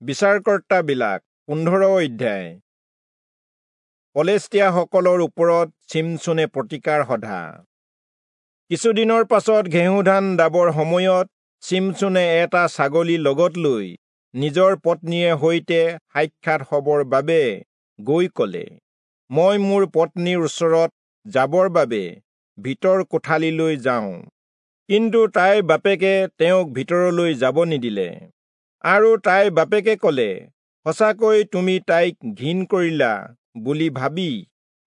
বিচাৰকৰ্তাবিলাক 15 অধ্যায়। পলেষ্টীয়াসকলৰ ওপৰত চিমচোনে প্ৰতিকাৰ সধা। কিছুদিনৰ পাছত ঘেঁহুধান দাবৰ সময়ত চিমচোনে এটা ছাগলী লগত লৈ নিজৰ পত্নীয়ে সৈতে সাক্ষাৎ হবৰ বাবে গৈ কলে, মই মোৰ পত্নীৰ ওচৰত যাবৰ বাবে ভিতৰ কোঠালিলৈ যাওঁ। কিন্তু তাইৰ বাপেকে তেওঁক ভিতৰলৈ যাব নিদিলে। আৰু তাইৰ বাপেকে কলে, সঁচাকৈ তুমি তাইক ঘিণ কৰিলা বুলি ভাবি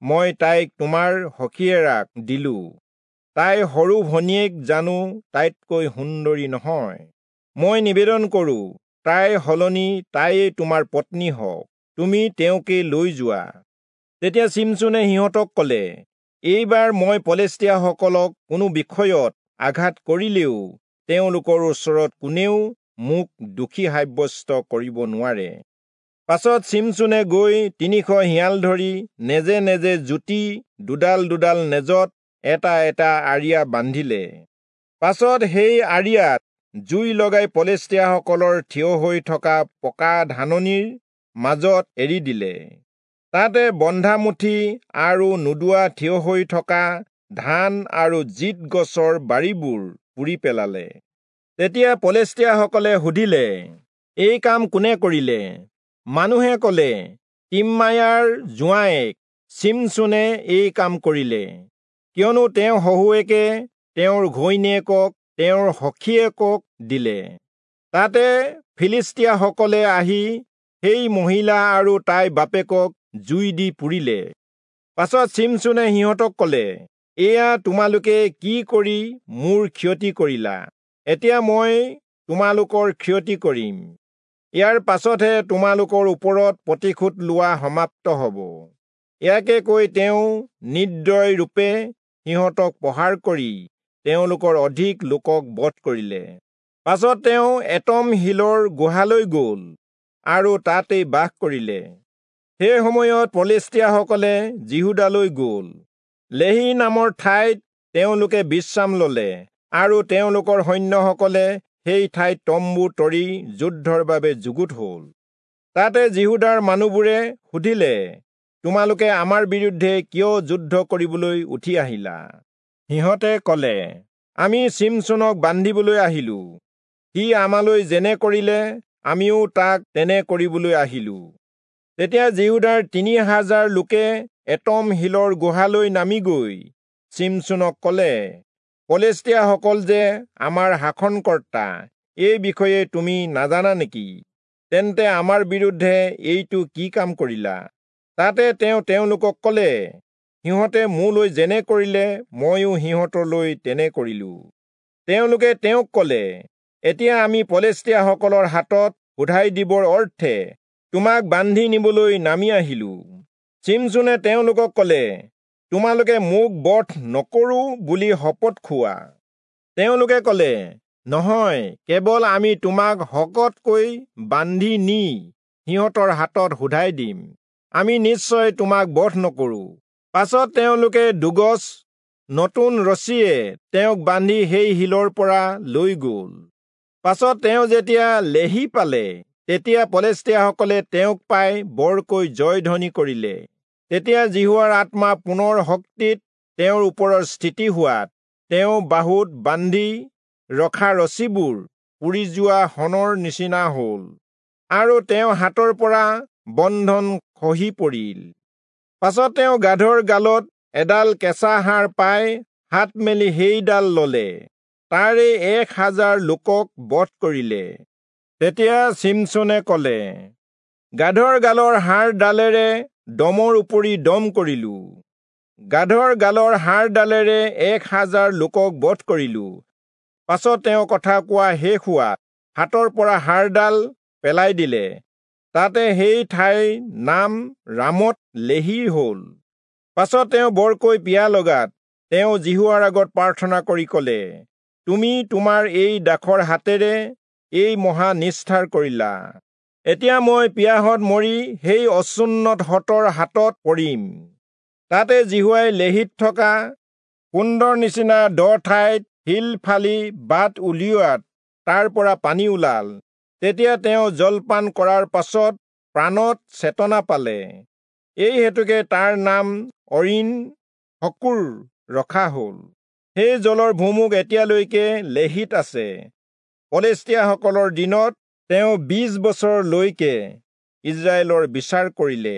মই তাইক তোমাৰ সখীয়েৰাক দিলো। তাইৰ সৰু ভনীয়েক জানো তাইতকৈ সুন্দৰী নহয়? মই নিবেদন কৰো, তাইৰ সলনি তাইয়ে তোমাৰ পত্নী হওক, তুমি তেওঁকে লৈ যোৱা। তেতিয়া চিমচোনে সিহঁতক কলে, এইবাৰ মই পলেষ্টীয়াসকলক কোনো বিষয়ত আঘাত কৰিলেও তেওঁলোকৰ ওচৰত কোনেও মোক দোষী সাব্যস্ত কৰিব নোৱাৰে। পাছত চিমচোনে গৈ 300 শিয়াল ধৰি নেজে নেজে জুতি দুডাল দুডাল নেজত এটা এটা আৰিয়া বান্ধিলে। পাছত সেই আৰিয়াত জুই লগাই পলেষ্টীয়াসকলৰ থিয় হৈ থকা পকা ধাননিৰ মাজত এৰি দিলে। তাতে বন্ধামুঠি আৰু নোদোৱা থিয় হৈ থকা ধান আৰু জিত গছৰ বাৰীবোৰ পুৰি পেলালে। তেতিয়া পলেষ্টীয়াসকলে সুধিলে, এই কাম কোনে কৰিলে? মানুহে কলে, তিম্মায়াৰ জোঁৱায়েক চিমচোনে এই কাম কৰিলে, কিয়নো তেওঁ শহুৱেকে তেওঁৰ ঘৈণীয়েকক তেওঁৰ সখীয়েকক দিলে। তাতে ফিলিষ্টীয়াসকলে আহি সেই মহিলা আৰু তাইৰ বাপেকক জুই দি পুৰিলে। পাছত চিমচোনে সিহঁতক কলে, এয়া তোমালোকে কি কৰি মোৰ ক্ষতি কৰিলা? এতিয়া মই তোমালোকৰ ক্ষতি কৰিম। ইয়াৰ পাছতহে তোমালোকৰ ওপৰত প্ৰতিশোধ লোৱা সমাপ্ত হব। ইয়াকে কৈ তেওঁ নিৰ্দয় ৰূপে সিহঁতক প্ৰহাৰ কৰি তেওঁলোকৰ অধিক লোকক বধ কৰিলে। পাছত তেওঁ এটম শিলৰ গুহালৈ গল আৰু তাতেই বাস কৰিলে। সেই সময়ত পলেষ্টীয়াসকলে যিহূদালৈ গল। লেহি নামৰ ঠাইত তেওঁলোকে বিশ্ৰাম ললে আৰু তেওঁলোকৰ সৈন্যসকলে সেই ঠাইত তম্বু তৰি যুদ্ধৰ বাবে যুগুত হল। তাতে যিহূদাৰ মানুহবোৰে সুধিলে, তোমালোকে আমাৰ বিৰুদ্ধে কিয় যুদ্ধ কৰিবলৈ উঠি আহিলা? সিহঁতে কলে, আমি চিমচোনক বান্ধিবলৈ আহিলো। সি আমালৈ যেনে কৰিলে আমিও তাক তেনে কৰিবলৈ আহিলো। তেতিয়া যিহূদাৰ 3000 লোকে এটম শিলৰ গুহালৈ নামি গৈ চিমচোনক কলে, পলেষ্টীয়াসকল যে আমাৰ শাসনকৰ্তা, এই বিষয়ে তুমি নাজানা নেকি? তেন্তে আমাৰ বিৰুদ্ধে এইটো কি কাম কৰিলা? তাতে তেওঁ তেওঁলোকক কলে, সিহঁতে মোলৈ যেনে কৰিলে ময়ো সিহঁতলৈ তেনে কৰিলো। তেওঁলোকে তেওঁক কলে, এতিয়া আমি পলেষ্টীয়াসকলৰ হাতত শোধাই দিবৰ অৰ্থে তোমাক বান্ধি নিবলৈ নামি আহিলো। চিমচোনে তেওঁলোকক কলে, তোমালোকে মোক বধ নকৰো বুলি শপত খোৱা। তেওঁলোকে কলে, নহয়, কেৱল আমি তোমাক শকতকৈ বান্ধি নি সিহঁতৰ হাতত শোধাই দিম, আমি নিশ্চয় তোমাক বধ নকৰো। পাছত তেওঁলোকে দুগজ নতুন ৰছীয়ে তেওঁক বান্ধি সেই শিলৰ পৰা লৈ গল। পাছত তেওঁ যেতিয়া লেহি পালে, তেতিয়া পলেষ্টীয়াসকলে তেওঁক পাই বৰকৈ জয়ধ্বনি কৰিলে। তেতিয়া যিহোৱাৰ আত্মা পুনৰ শক্তিত তেওঁৰ ওপৰত স্থিতি হোৱাত তেওঁ বাহুত বান্ধি ৰখা ৰছীবোৰ পুৰি যোৱা শণৰ নিচিনা হল আৰু তেওঁ হাতৰ পৰা বন্ধন খহি পৰিল। পাছত তেওঁ গাধৰ গালত এডাল কেঁচা হাড় পাই হাত মেলি সেইডাল ললে, তাৰে 1000 লোকক বধ কৰিলে। তেতিয়া চিমচোনে কলে, গাধৰ গালৰ হাড়ডালেৰে দমৰ উপৰি দম কৰিলো, গাধৰ গালৰ হাড়ডালেৰে 1000 লোকক বধ কৰিলো। পাছত তেওঁ কথা কোৱা শেষ হোৱাত হাতৰ পৰা হাড়ডাল পেলাই দিলে। তাতে সেই ঠাইৰ নাম ৰামত লেহি হল। পাছত তেওঁ বৰকৈ পিয়াহ লগাত তেওঁ যিহোৱাৰ আগত প্ৰাৰ্থনা কৰি কলে, তুমি তোমাৰ এই দাসৰ হাতেৰে এই মহা নিষ্ঠাৰ কৰিলা। এতিয়া মই পিয়াহত মৰি সেই অচুন্নতহঁতৰ হাতত পৰিম। তাতে যিহোৱাই লেহিত থকা কুণ্ডৰ নিচিনা দ ঠাইত শিল ফালি বাট উলিওৱাত তাৰ পৰা পানী ওলাল। তেতিয়া তেওঁ জলপান কৰাৰ পাছত প্ৰাণত চেতনা পালে। এই হেতুকে তাৰ নাম অৰিণ হকুৰ ৰখা হ'ল। সেই জলৰ ভুমুক এতিয়ালৈকে লেহিত আছে। পলেষ্টীয়াসকলৰ দিনত তেওঁ 20 বছৰলৈকে ইস্ৰায়েলৰ বিচাৰ কৰিলে।